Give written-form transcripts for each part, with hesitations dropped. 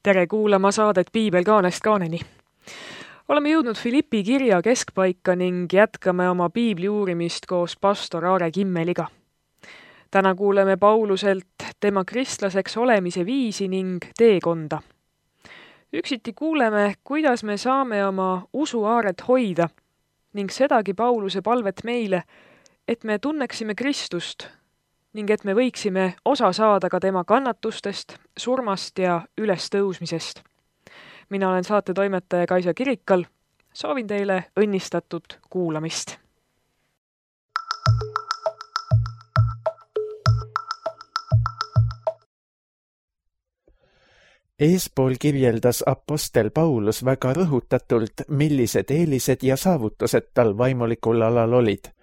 Tere kuulama saadet Piibel kaanest kaaneni. Oleme jõudnud Filippi kirja keskpaika ning jätkame oma piibli uurimist koos pastor Aare Kimmeliga. Täna kuuleme Pauluselt tema kristlaseks olemise viisi ning teekonda. Üksiti kuuleme, kuidas me saame oma usuaaret hoida ning sedagi Pauluse palvet meile, et me tunneksime Kristust ning et me võiksime osa saada ka tema kannatustest, surmast ja ülestõusmisest. Mina olen saatetoimetaja Kaisa Kirikal. Soovin teile õnnistatud kuulamist. Eespool kirjeldas apostel Paulus väga rõhutatult, millised eelised ja saavutused tal vaimulikul alal olid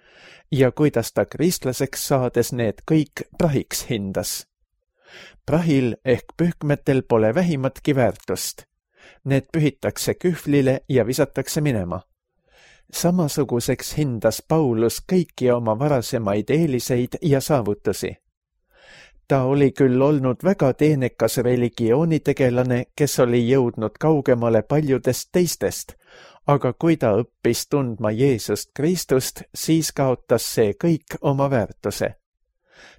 ja kuidas ta kristlaseks saades need kõik prahiks hindas. Prahil ehk pühkmetel pole vähimatki väärtust. Need pühitakse kühvlile ja visatakse minema. Samasuguseks hindas Paulus kõiki oma varasemaid eeliseid ja saavutusi. Ta oli küll olnud väga teenekas religioonitegelane, kes oli jõudnud kaugemale paljudest teistest, aga kui ta õppis tundma Jeesust Kristust, siis kaotas see kõik oma väärtuse.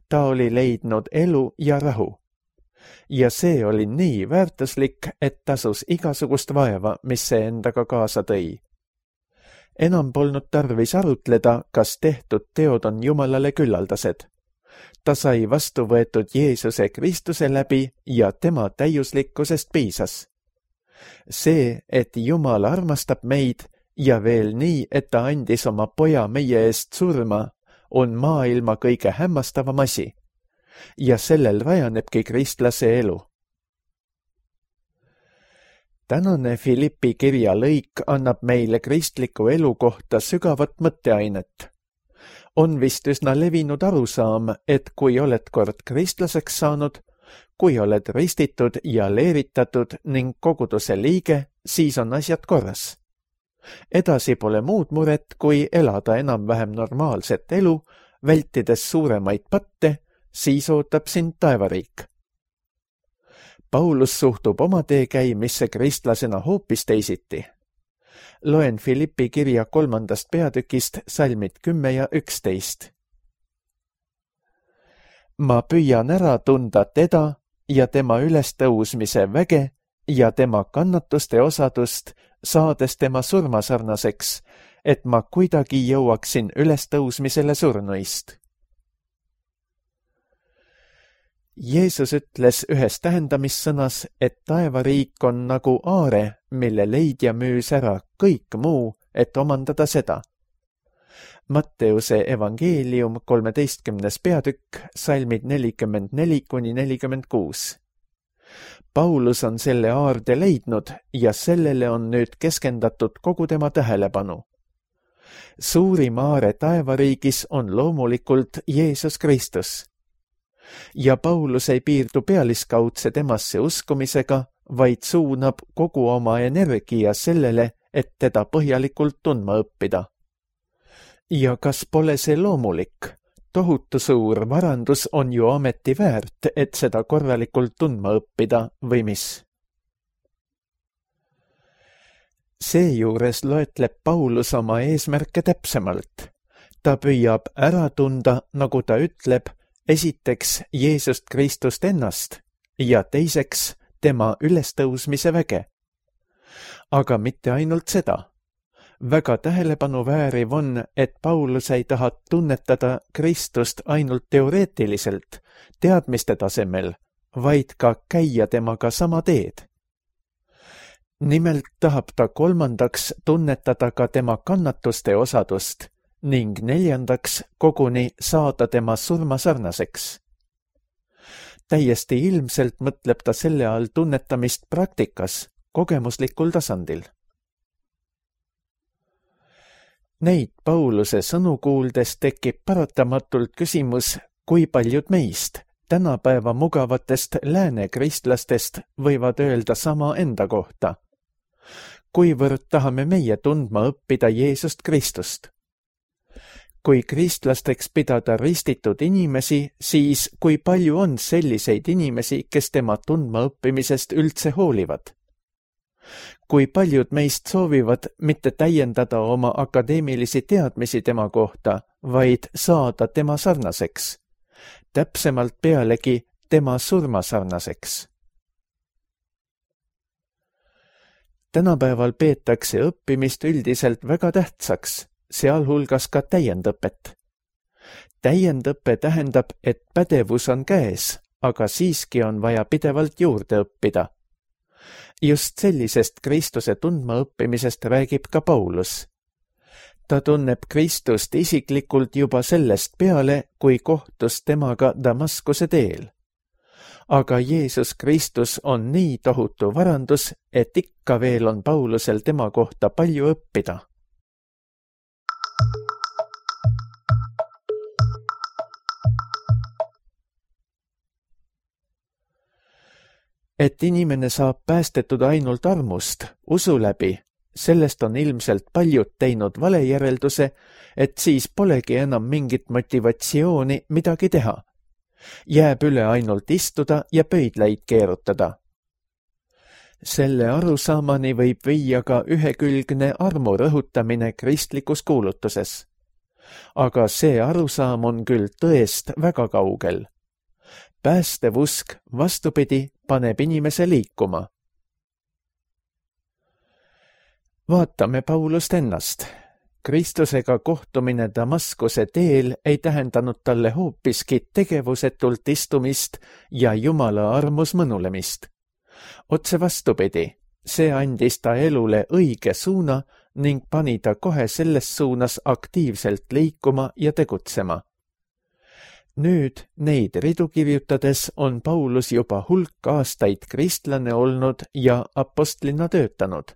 Ta oli leidnud elu ja rahu. Ja see oli nii väärtuslik, et tasus igasugust vaeva, mis see endaga kaasa tõi. Enam polnud tarvis arutleda, kas tehtud teod on Jumalale küllaldased. Ta sai vastu võetud Jeesuse Kristuse läbi ja tema täiuslikkusest piisas. See, et Jumal armastab meid ja veel nii, et ta andis oma poja meie eest surma, on maailma kõige hämmastavam asi. Ja sellel rajanebki kristlase elu. Tänane Filippi kirja lõik annab meile kristliku elu kohta sügavat mõtteainet. On vist üsna levinud arusaam, et kui oled kord kristlaseks saanud, kui oled ristitud ja leeritatud ning koguduse liige, siis on asjad korras. Edasi pole muud muret, kui elada enam-vähem normaalset elu, vältides suuremaid patte, siis ootab sind taevariik. Paulus suhtub oma teekäimisse kristlasena hoopis teisiti. Loen Filippi kirja 3. peatükist salmid 10 ja 11. Ma püüan ära tunda teda ja tema ülestõusmise väge ja tema kannatuste osadust, saades tema surmasarnaseks, et ma kuidagi jõuaksin ülestõusmisele surnuist. Jeesus ütles ühes tähendamissõnas, et taevariik on nagu aare, mille leidja müüs ära kõik muu, et omandada seda. Matteuse evangeelium 13. peatükk, salmid 44-46. Paulus on selle aarde leidnud ja sellele on nüüd keskendatud kogu tema tähelepanu. Suurim aare taevariigis on loomulikult Jeesus Kristus. Ja Paulus ei piirdu pealiskaudse temasse uskumisega, vaid suunab kogu oma energia sellele, et teda põhjalikult tundma õppida. Ja kas pole see loomulik? Tohutu suur varandus on ju ameti väärt, et seda korralikult tundma õppida või mis? Seejuures loetleb Paulus oma eesmärke täpsemalt. Ta püüab ära tunda, nagu ta ütleb, esiteks Jeesust Kristust ennast ja teiseks tema ülestõusmise väge. Aga mitte ainult seda. Väga tähelepanu vääriv on, et Paulus ei taha tunnetada Kristust ainult teoreetiliselt, teadmiste tasemel, vaid ka käia temaga sama teed. Nimelt tahab ta kolmandaks tunnetada ka tema kannatuste osadust ning neljandaks koguni saada tema surmasarnaseks. Täiesti ilmselt mõtleb ta selle all tunnetamist praktikas, kogemuslikul tasandil. Neid Pauluse sõnu kuuldes tekib paratamatult küsimus, kui paljud meist, tänapäeva mugavatest lääne kristlastest, võivad öelda sama enda kohta. Kuivõrd tahame meie tundma õppida Jeesust Kristust? Kui kristlasteks pidada ristitud inimesi, siis kui palju on selliseid inimesi, kes tema tundmaõppimisest üldse hoolivad? Kui paljud meist soovivad mitte täiendada oma akadeemilisi teadmisi tema kohta, vaid saada tema sarnaseks, täpsemalt pealegi tema surmasarnaseks. Tänapäeval peetakse õppimist üldiselt väga tähtsaks, sealhulgas ka täiendõpet. Täiendõpe tähendab, et pädevus on käes, aga siiski on vaja pidevalt juurde õppida. Just sellisest Kristuse tundmaõppimisest räägib ka Paulus. Ta tunneb Kristust isiklikult juba sellest peale, kui kohtus temaga Damaskuse teel. Aga Jeesus Kristus on nii tohutu varandus, et ikka veel on Paulusel tema kohta palju õppida. Et inimene saab päästetud ainult armust, usu läbi, sellest on ilmselt paljud teinud valejärelduse, et siis polegi enam mingit motivatsiooni midagi teha. Jääb üle ainult istuda ja pöidlaid keerutada. Selle arusaamani võib viia ka ühekülgne armu rõhutamine kristlikus kuulutuses. Aga see arusaam on küll tõest väga kaugel. Päästev usk, vastupidi, paneb inimese liikuma. Vaatame Paulust ennast. Kristusega kohtumine Damaskuse teel ei tähendanud talle hoopiski tegevusetult istumist ja Jumala armus mõnulemist. Otse vastupidi, see andis ta elule õige suuna ning pani ta kohe selles suunas aktiivselt liikuma ja tegutsema. Nüüd neid ridu kirjutades on Paulus juba hulk aastaid kristlane olnud ja apostlina töötanud.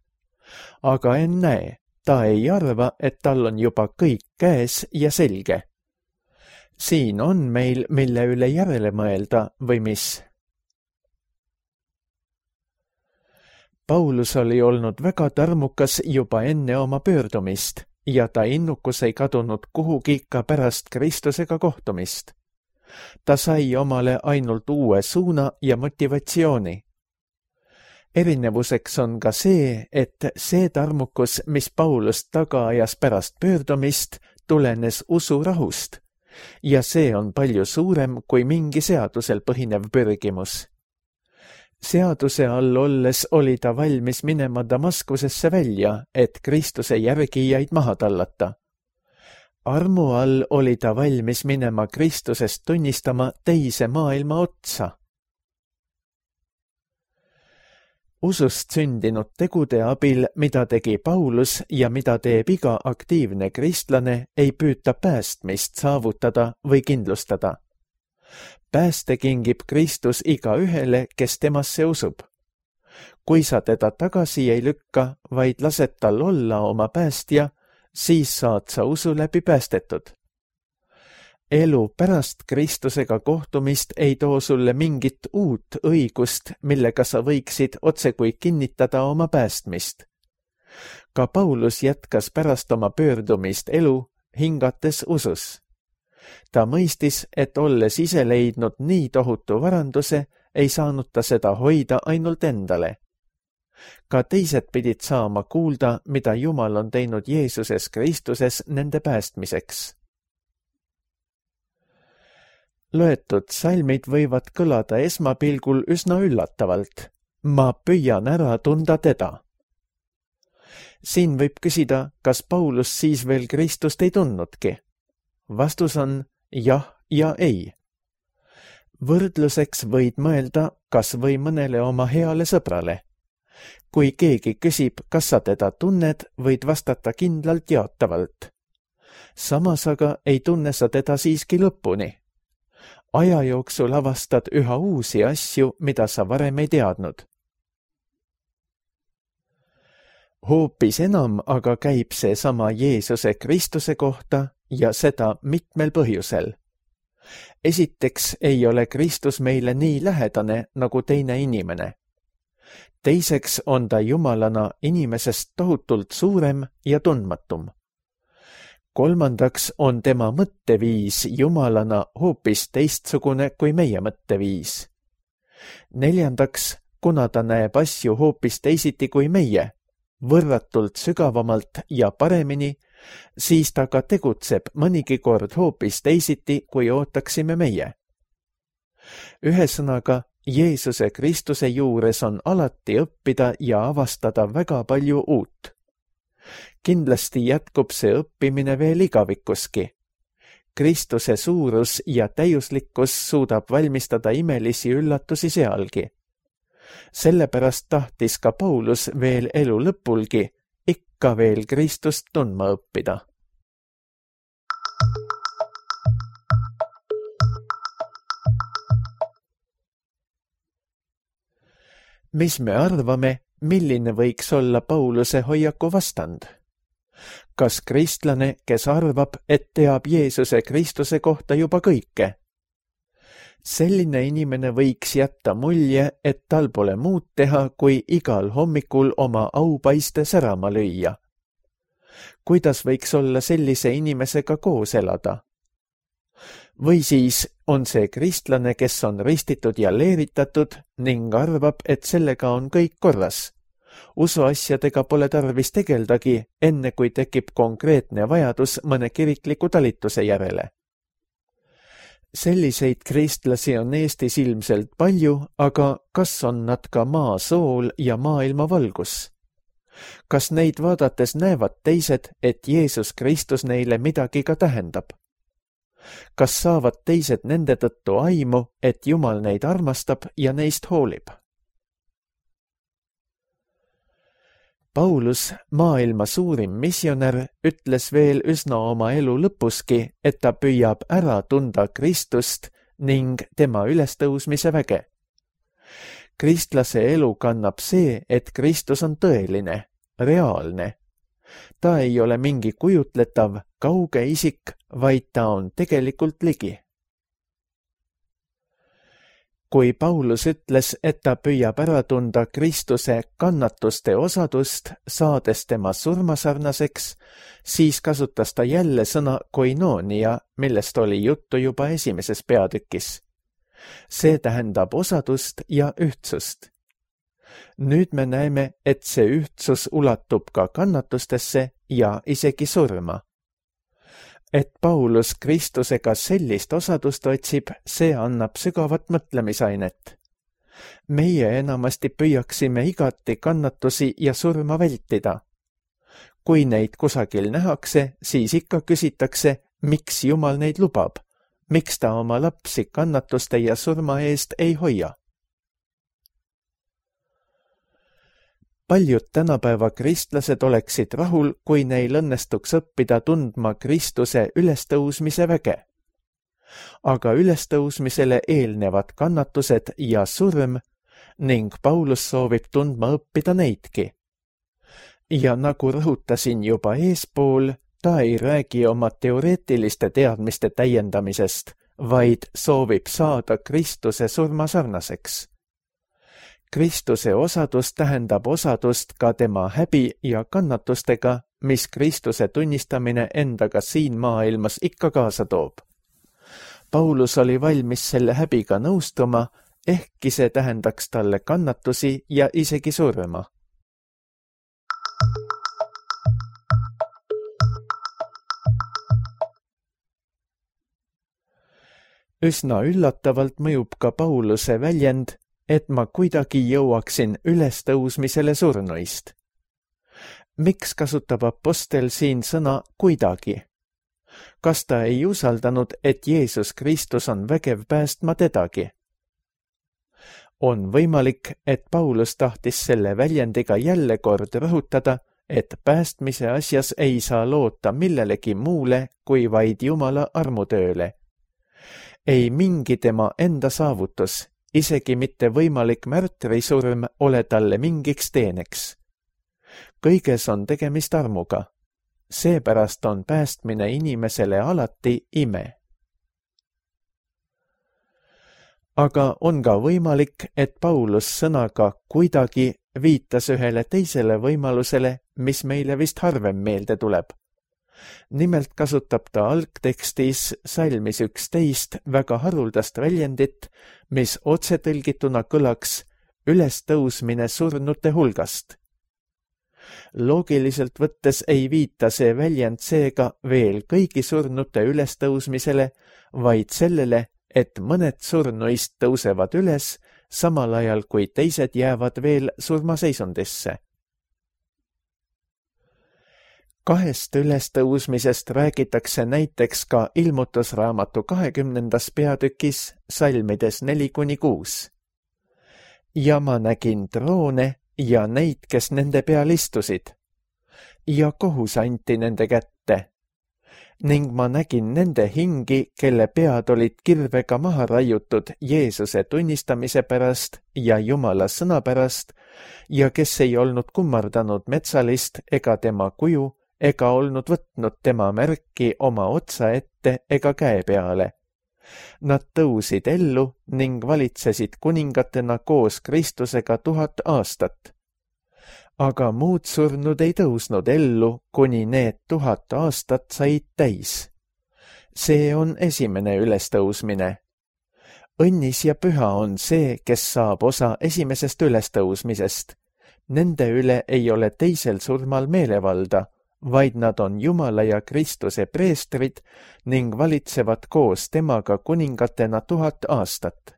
Aga ennäe, ta ei arva, et tal on juba kõik käes ja selge. Siin on meil, mille üle järele mõelda või mis? Paulus oli olnud väga tarmukas juba enne oma pöördumist ja ta innukus ei kadunud kuhugi ka pärast Kristusega kohtumist. Ta sai omale ainult uue suuna ja motivatsiooni. Erinevuseks on ka see, et see tarmukus, mis Paulust taga ajas pärast pöördumist, tulenes usurahust ja see on palju suurem kui mingi seadusel põhinev pürgimus. Seaduse all olles oli ta valmis minema Damaskusesse välja, et Kristuse järgijaid maha tallata. Armu all oli ta valmis minema Kristusest tunnistama teise maailma otsa. Usust sündinud tegude abil, mida tegi Paulus ja mida teeb iga aktiivne kristlane, ei püüta päästmist saavutada või kindlustada. Pääste kingib Kristus igaühele, kes temasse usub. Kui sa teda tagasi ei lükka, vaid lased tal olla oma päästja, siis saad sa usu läbi päästetud. Elu pärast Kristusega kohtumist ei too sulle mingit uut õigust, millega sa võiksid otsekui kinnitada oma päästmist. Ka Paulus jätkas pärast oma pöördumist elu, hingates usus. Ta mõistis, et olles ise leidnud nii tohutu varanduse, ei saanud ta seda hoida ainult endale. Ka teised pidid saama kuulda, mida Jumal on teinud Jeesuses Kristuses nende päästmiseks. Loetud salmid võivad kõlada esmapilgul üsna üllatavalt. Ma püüan ära tunda teda. Siin võib küsida, kas Paulus siis veel Kristust ei tundnudki. Vastus on jah ja ei. Võrdluseks võid mõelda kas või mõnele oma heale sõbrale. Kui keegi küsib, kas sa teda tunned, võid vastata kindlalt jaatavalt. Samas aga ei tunne sa teda siiski lõpuni. Aja jooksul avastad üha uusi asju, mida sa varem ei teadnud. Hoopis enam aga käib see sama Jeesuse Kristuse kohta ja seda mitmel põhjusel. Esiteks ei ole Kristus meile nii lähedane nagu teine inimene. Teiseks on ta Jumalana inimesest tohutult suurem ja tundmatum. kolmandaks on tema mõtteviis jumalana hoopis teistsugune kui meie mõtteviis. Neljandaks, kuna ta näeb asju hoopis teisiti kui meie, võrratult sügavamalt ja paremini, siis ta ka tegutseb mõnigi kord hoopis teisiti, kui ootaksime meie. Ühesõnaga, Jeesuse Kristuse juures on alati õppida ja avastada väga palju uut. Kindlasti jätkub see õppimine veel igavikuski. Kristuse suurus ja täiuslikkus suudab valmistada imelisi üllatusi sealgi. Sellepärast tahtis ka Paulus veel elu lõpulgi ikka veel Kristust tundma õppida. Mis me arvame, milline võiks olla Pauluse hoiaku vastand? Kas kristlane, kes arvab, et teab Jeesuse Kristuse kohta juba kõike? Selline inimene võiks jätta mulje, et tal pole muud teha, kui igal hommikul oma aupaiste särama lüüa. Kuidas võiks olla sellise inimesega koos elada? Või siis on see kristlane, kes on ristitud ja leeritatud ning arvab, et sellega on kõik korras. Usuasjadega pole tarvis tegeldagi, enne kui tekib konkreetne vajadus mõne kirikliku talituse järele. Selliseid kristlasi on Eestis ilmselt palju, aga kas on nad ka maa sool ja maailma valgus? Kas neid vaadates näevad teised, et Jeesus Kristus neile midagi ka tähendab? Kas saavad teised nende tõttu aimu, et Jumal neid armastab ja neist hoolib? Paulus, maailma suurim missionär, ütles veel üsna oma elu lõpuski, et ta püüab ära tunda Kristust ning tema ülestõusmise väge. Kristlase elu kannab see, et Kristus on tõeline, reaalne. Ta ei ole mingi kujutletav, kauge isik, vaid ta on tegelikult ligi. Kui Paulus ütles, et ta püüab ära tunda Kristuse kannatuste osadust, saades tema surmasarnaseks, siis kasutas ta jälle sõna koinoonia, millest oli juttu juba esimeses peatükis. See tähendab osadust ja ühtsust. Nüüd me näeme, et see ühtsus ulatub ka kannatustesse ja isegi surma. Et Paulus Kristusega sellist osadust otsib, see annab sügavat mõtlemisainet. Meie enamasti püüaksime igati kannatusi ja surma vältida. Kui neid kusagil nähakse, siis ikka küsitakse, miks Jumal neid lubab, miks ta oma lapsi kannatuste ja surma eest ei hoia. Paljud tänapäeva kristlased oleksid rahul, kui neil õnnestuks õppida tundma Kristuse ülestõusmise väge. Aga ülestõusmisele eelnevad kannatused ja surm ning Paulus soovib tundma õppida neidki. Ja nagu rõhutasin juba eespool, ta ei räägi oma teoreetiliste teadmiste täiendamisest, vaid soovib saada Kristuse surmasarnaseks. Kristuse osadus tähendab osadust ka tema häbi ja kannatustega, mis Kristuse tunnistamine endaga siin maailmas ikka kaasa toob. Paulus oli valmis selle häbiga nõustuma, ehkki see tähendaks talle kannatusi ja isegi surma. Üsna üllatavalt mõjub ka Pauluse väljend, et ma kuidagi jõuaksin ülestõusmisele surnuist. Miks kasutab apostel siin sõna kuidagi? Kas ta ei usaldanud, et Jeesus Kristus on vägev päästma tedagi? On võimalik, et Paulus tahtis selle väljendiga jälle kord rõhutada, et päästmise asjas ei saa loota millelegi muule kui vaid Jumala armutööle. Ei mingi tema enda saavutus, isegi mitte võimalik märtrisurm ole talle mingiks teeneks. Kõiges on tegemist armuga. Seepärast on päästmine inimesele alati ime. Aga on ka võimalik, et Paulus sõnaga kuidagi viitas ühele teisele võimalusele, mis meile vist harvem meelde tuleb. Nimelt kasutab ta algtekstis salmis 11 väga haruldast väljendit, mis otsetõlgituna kõlaks ülestõusmine surnute hulgast. Loogiliselt võttes ei viita see väljend seega veel kõigi surnute ülestõusmisele, vaid sellele, et mõned surnuist tõusevad üles, samal ajal kui teised jäävad veel surmaseisundisse. Kahest ülestõusmisest räägitakse näiteks ka Ilmutusraamatu 20. peatükis salmides 4-6. Ja ma nägin troone ja neid, kes nende peal istusid, ja kohus anti nende kätte. Ning ma nägin nende hingi, kelle pead olid kirvega maha raiutud Jeesuse tunnistamise pärast ja Jumala sõna pärast ja kes ei olnud kummardanud metsalist ega tema kuju ega olnud võtnud tema märki oma otsa ette ega käe peale. Nad tõusid ellu ning valitsesid kuningatena koos Kristusega 1000 aastat. Aga muud surnud ei tõusnud ellu, kuni need 1000 aastat said täis. See on esimene ülestõusmine. Õnnis ja püha on see, kes saab osa esimesest ülestõusmisest. Nende üle ei ole teisel surmal meelevalda, vaid nad on Jumala ja Kristuse preestrid ning valitsevad koos temaga kuningatena 1000 aastat.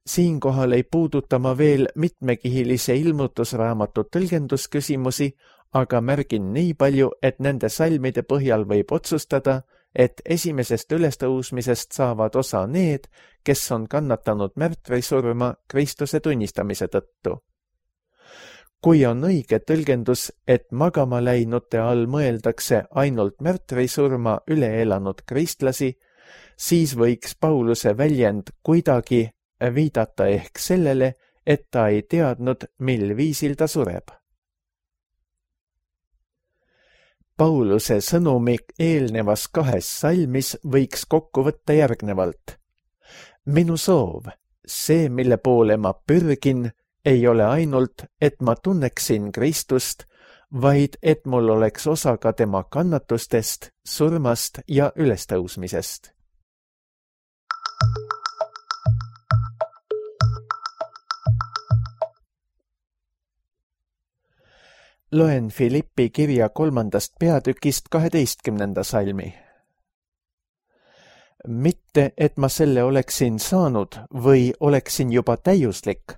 Siinkohal ei puuduta ma veel mitmekihilise Ilmutusraamatu tõlgendusküsimusi, aga märgin nii palju, et nende salmide põhjal võib otsustada, et esimesest ülestõusmisest saavad osa need, kes on kannatanud märtrisurma Kristuse tunnistamise tõttu. Kui on õige tõlgendus, et magama läinute all mõeldakse ainult märtrisurma üle elanud kristlasi, siis võiks Pauluse väljend kuidagi viidata ehk sellele, et ta ei teadnud, mil viisil ta sureb. Pauluse sõnumik eelnevas 2 salmis võiks kokku võtta järgnevalt. Minu soov, see, mille poole ma pürgin, ei ole ainult, et ma tunneksin Kristust, vaid et mul oleks osa ka tema kannatustest, surmast ja ülestõusmisest. Loen Filippi kirja 3. peatükist 12. salmi. Mitte, et ma selle oleksin saanud või oleksin juba täiuslik,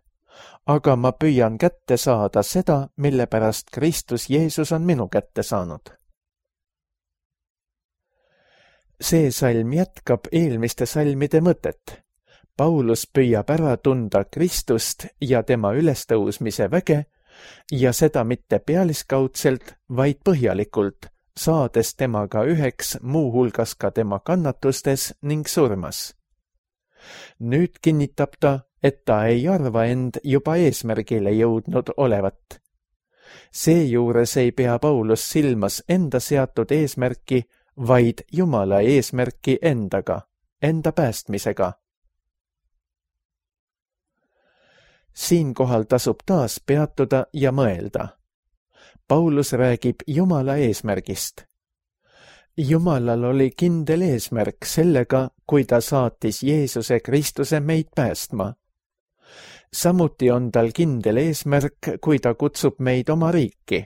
aga ma püüan kätte saada seda, mille pärast Kristus Jeesus on minu kätte saanud. See salm jätkab eelmiste salmide mõtet. Paulus püüab ära tunda Kristust ja tema ülestõusmise väge ja seda mitte pealiskaudselt, vaid põhjalikult, saades temaga üheks muuhulgas ka tema kannatustes ning surmas. Nüüd kinnitab ta, et ta ei arva end juba eesmärgile jõudnud olevat. Seejuures ei pea Paulus silmas enda seatud eesmärki, vaid Jumala eesmärki endaga, enda päästmisega. Siinkohal tasub taas peatuda ja mõelda. Paulus räägib Jumala eesmärgist. Jumalal oli kindel eesmärk sellega, kui ta saatis Jeesuse Kristuse meid päästma. Samuti on tal kindel eesmärk, kui ta kutsub meid oma riiki.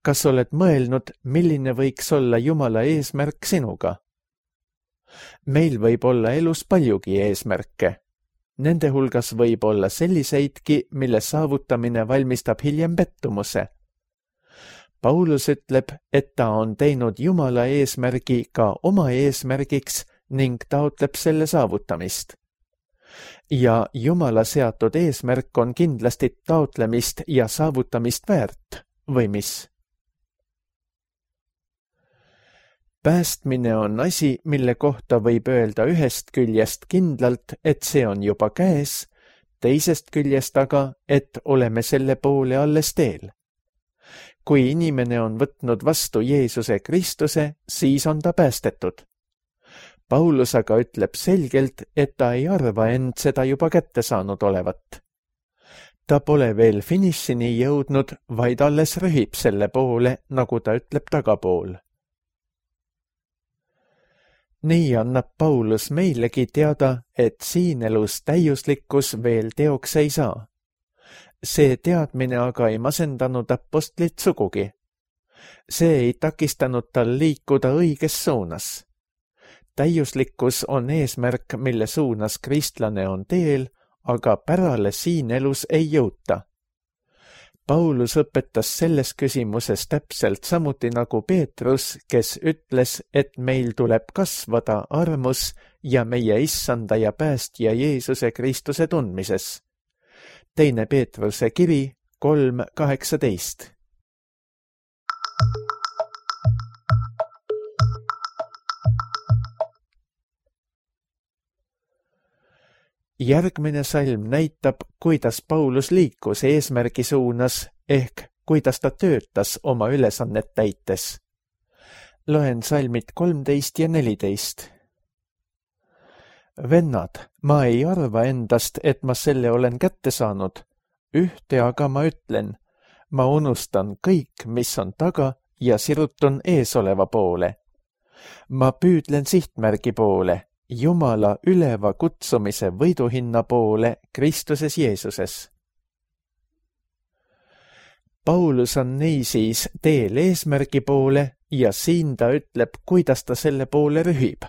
Kas oled mõelnud, milline võiks olla Jumala eesmärk sinuga? Meil võib olla elus paljugi eesmärke. Nende hulgas võib olla selliseidki, mille saavutamine valmistab hiljem pettumuse. Paulus ütleb, et ta on teinud Jumala eesmärgi ka oma eesmärgiks ning taotleb selle saavutamist. Ja Jumala seatud eesmärk on kindlasti taotlemist ja saavutamist väärt, või mis? Päästmine on asi, mille kohta võib öelda ühest küljest kindlalt, et see on juba käes, teisest küljest aga, et oleme selle poole alles teel. Kui inimene on võtnud vastu Jeesuse Kristuse, siis on ta päästetud. Paulus aga ütleb selgelt, et ta ei arva end seda juba kätte saanud olevat. Ta pole veel finišini jõudnud, vaid alles rühib selle poole, nagu ta ütleb tagapool. Nii annab Paulus meilegi teada, et siin elus täiuslikkus veel teoks ei saa. See teadmine aga ei masendanud apostlit sugugi. See ei takistanud tal liikuda õiges suunas. Täiuslikkus on eesmärk, mille suunas kristlane on teel, aga pärale siin elus ei jõuta. Paulus õpetas selles küsimuses täpselt samuti nagu Peetrus, kes ütles, et meil tuleb kasvada armus ja meie issanda ja päästja Jeesuse Kristuse tundmises. 2. Peetruse kiri 3:18. Järgmine salm näitab, kuidas Paulus liikus eesmärgi suunas ehk kuidas ta töötas oma ülesannet täites. Loen salmid 13 ja 14. Vennad, ma ei arva endast, et ma selle olen kätte saanud. Ühte aga ma ütlen, ma unustan kõik, mis on taga ja sirutun eesoleva poole. Ma püüdlen sihtmärgi poole, Jumala üleva kutsumise võiduhinna poole Kristuses Jeesuses. Paulus on niisiis teel eesmärgi poole ja siin ta ütleb, kuidas ta selle poole rühib.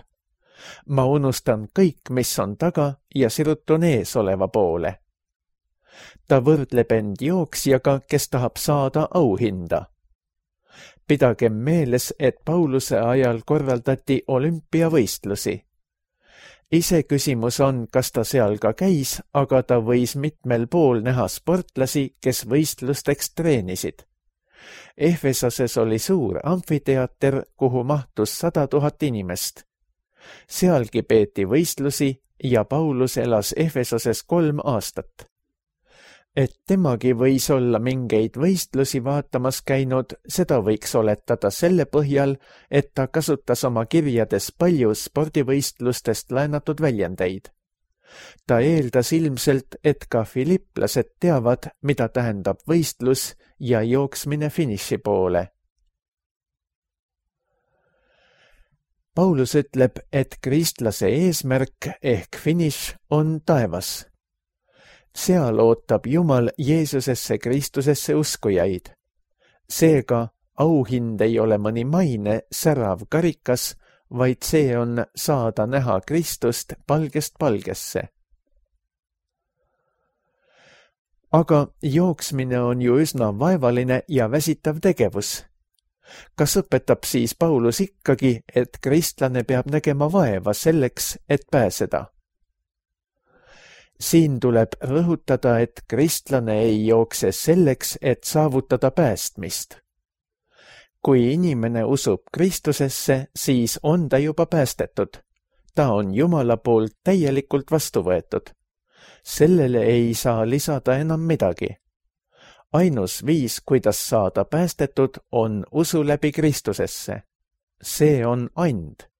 Ma unustan kõik, mis on taga ja sirutun eesoleva poole. Ta võrdleb end jooksjaga, kes tahab saada auhinda. Pidagem meeles, et Pauluse ajal korraldati olümpiavõistlusi. Iseküsimus on, kas ta seal ka käis, aga ta võis mitmel pool näha sportlasi, kes võistlusteks treenisid. Efesoses oli suur amfiteater, kuhu mahtus 100 000 inimest. Sealgi peeti võistlusi ja Paulus elas Efesoses 3 aastat. Et temagi võis olla mingeid võistlusi vaatamas käinud, seda võiks oletada selle põhjal, et ta kasutas oma kirjades palju spordivõistlustest laenatud väljendeid. Ta eeldas ilmselt, et ka filiplased teavad, mida tähendab võistlus ja jooksmine finiši poole. Paulus ütleb, et kristlase eesmärk ehk finiš on taevas. Seal ootab Jumal Jeesusesse Kristusesse uskujaid. Seega auhind ei ole mõni maine särav karikas, vaid see on saada näha Kristust palgest palgesse. Aga jooksmine on ju üsna vaevaline ja väsitav tegevus. Kas õpetab siis Paulus ikkagi, et kristlane peab nägema vaeva selleks, et pääseda? Siin tuleb rõhutada, et kristlane ei jookse selleks, et saavutada päästmist. Kui inimene usub Kristusesse, siis on ta juba päästetud. Ta on Jumala poolt täielikult vastu võetud. Sellele ei saa lisada enam midagi. Ainus viis, kuidas saada päästetud, on usu läbi Kristusesse. See on and.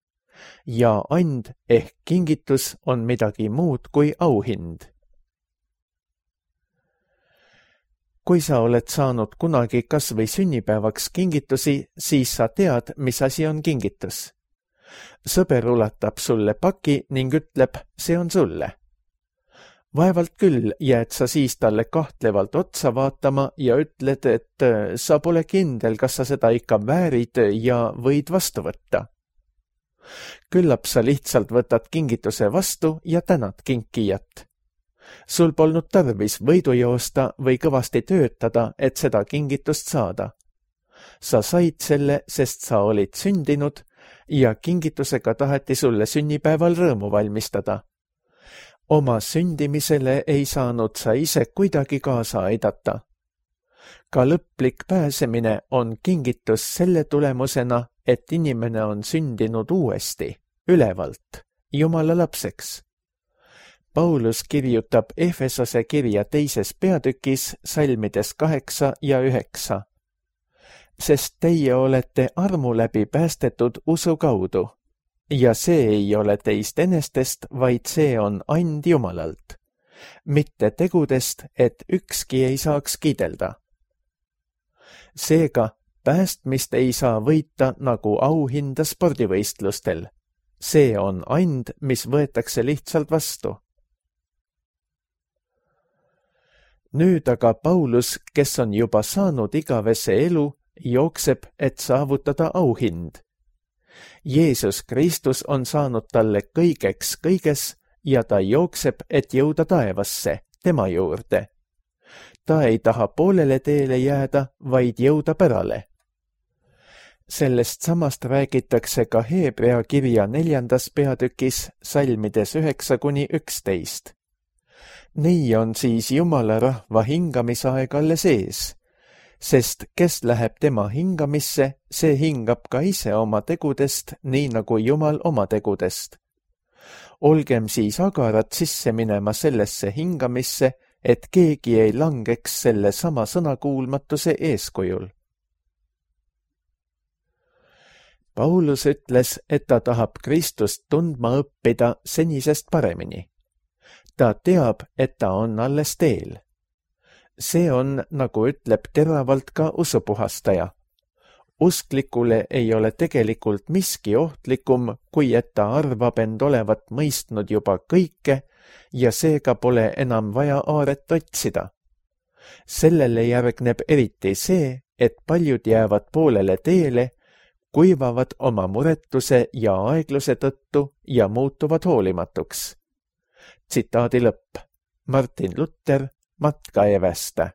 Ja and ehk kingitus on midagi muud kui auhind. Kui sa oled saanud kunagi kas või sünnipäevaks kingitusi, siis sa tead, mis asi on kingitus. Sõber ulatab sulle paki ning ütleb, see on sulle. Vaevalt küll jääd sa siis talle kahtlevalt otsa vaatama ja ütled, et sa pole kindel, kas sa seda ikka väärid ja võid vastu võtta. Küllap sa lihtsalt võtad kingituse vastu ja tänad kinkijat. Sul polnud tarvis võidu joosta või kõvasti töötada, et seda kingitust saada. Sa said selle, sest sa olid sündinud ja kingitusega taheti sulle sünnipäeval rõõmu valmistada. Oma sündimisele ei saanud sa ise kuidagi kaasa aidata. Ka lõplik pääsemine on kingitus selle tulemusena, et inimene on sündinud uuesti, ülevalt, Jumala lapseks. Paulus kirjutab Efesose kirja 2. peatükis salmides 8 ja 9. Sest teie olete armu läbi päästetud usu kaudu. Ja see ei ole teist enestest, vaid see on and Jumalalt. mitte tegudest, et ükski ei saaks kiidelda. Seega, päästmist ei saa võita nagu auhinda spordivõistlustel. See on and, mis võetakse lihtsalt vastu. Nüüd aga Paulus, kes on juba saanud igavese elu, jookseb, et saavutada auhind. Jeesus Kristus on saanud talle kõigeks kõiges ja ta jookseb, et jõuda taevasse, tema juurde. Ta ei taha poolele teele jääda, vaid jõuda pärale. Sellest samast räägitakse ka Hebrea kirja 4. peatükis salmides 9–11. Nii on siis Jumala rahva hingamisaeg alles ees, sest kes läheb tema hingamisse, see hingab ka ise oma tegudest, nii nagu Jumal oma tegudest. Olgem siis agarad sisse minema sellesse hingamisse, et keegi ei langeks selle sama sõnakuulmatuse eeskujul. Paulus ütles, et ta tahab Kristust tundma õppida senisest paremini. Ta teab, et ta on alles teel. See on, nagu ütleb teravalt ka usupuhastaja. Usklikule ei ole tegelikult miski ohtlikum, kui et ta arvab end olevat mõistnud juba kõike ja seega pole enam vaja aaret otsida. Sellele järgneb eriti see, et paljud jäävad poolele teele, kuivavad oma muretuse ja aegluse tõttu ja muutuvad hoolimatuks. Tsitaadi lõpp. Martin Luther, Matkaevästä.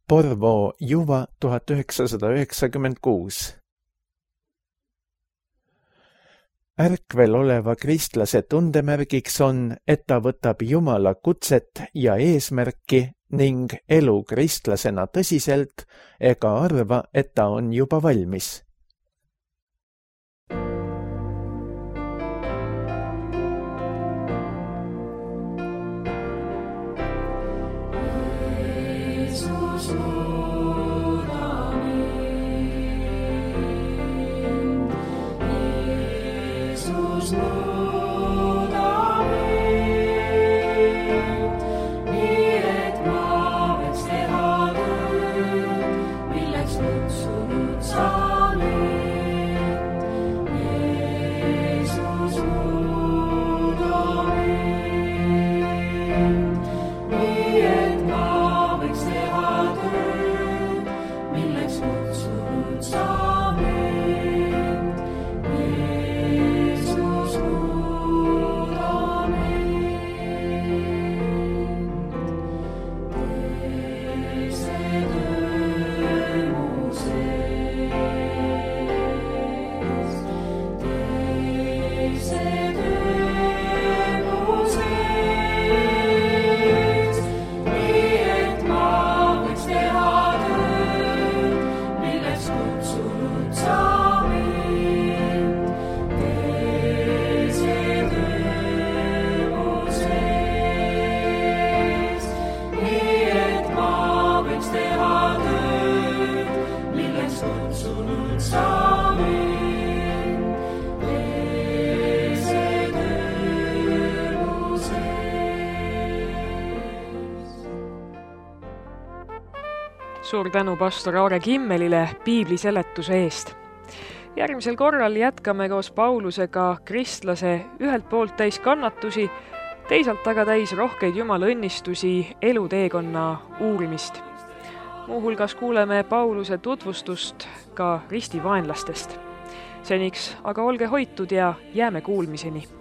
Porvoo, Juva 1996. Ärkvel oleva kristlase tundemärgiks on, et ta võtab Jumala kutset ja eesmärki ning elu kristlasena tõsiselt ega arva, et ta on juba valmis. Suur tänu pastor Aare Kimmelile piibli seletuse eest. Järgmisel korral jätkame koos Paulusega kristlase ühelt poolt täis kannatusi, teisalt aga täis rohkeid Jumala õnnistusi eluteekonna uurimist. Muuhulgas kuuleme Pauluse tutvustust ka ristivaenlastest. Seniks aga olge hoitud ja jääme kuulmiseni.